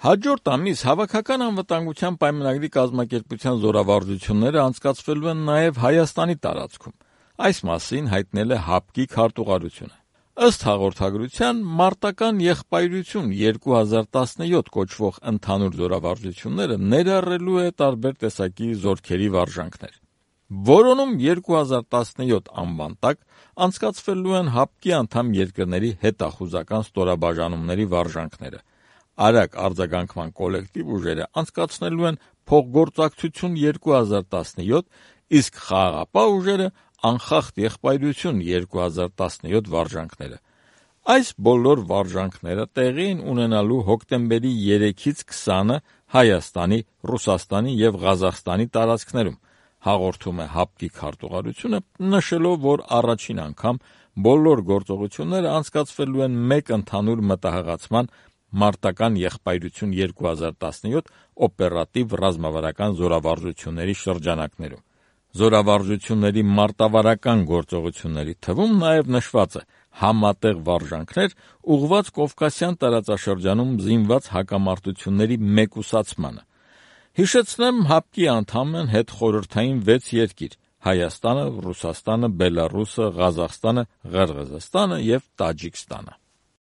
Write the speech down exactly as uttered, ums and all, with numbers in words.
Հաջորդ ամիս Հավաքական անվտանգության պայմանագրի կազմակերպության զորավարժությունները անցկացվելու են նաև Հայաստանի տարածքում։ Այս մասին հայտնել է ՀԱՊԿ-ի քարտուղարությունը։ Ըստ հաղորդագրության, մարտական եղբայրություն երկու հազար տասնյոթ կոչվող ընդհանուր զորավարժությունները ներառելու է տարբեր տեսակի զորքերի վարժանքներ։ Որոնում երկու հազար տասնյոթ անվան տակ անցկացվելու են ՀԱՊԿ-ի անդամ երկրների հետախուզական ստորաբաժանումների վարժանքները։ Արագ արձագանքման կոլեկտիվ ուժերը անցկացնելու են փոխգործակցություն երկու հազար տասնյոթ, իսկ խաղաղապահ ուժերը անխախտ եղբայրություն երկու հազար տասնյոթ վարժանքները։ Այս բոլոր վարժանքները տեղի են ունենալու հոկտեմբերի երեքից քսանը Հայաստանի, Ռուսաստանի և Ղազախստանի տարածքներում, հաղորդում է ՀԱՊԿ-ի քարտուղարությունը, նշելով, որ առաջին անգամ բոլոր գործողությունները անցկացվելու են մեկ ընդհանուր մտահղացման մարտական եղբայրություն երկու հազար տասնյոթ օպերատիվ ռազմավարական զորավարժությունների շրջանակներում։ Զորավարժությունների մարտավարական գործողությունների թվում նաև նշված է համատեղ վարժանքներ ուղղված Կովկասյան տարածաշրջանում զինված հակամարտությունների մեկուսացմանը։ Հիշեցնեմ, ՀԱՊԿ-ի անդամ են հետխորհրդային վեց երկիր՝ Հայաստանը, Ռուսաստանը, Բելառուսը, Ղազախստանը, Ղրղըզստանը և Տաջիկստանը։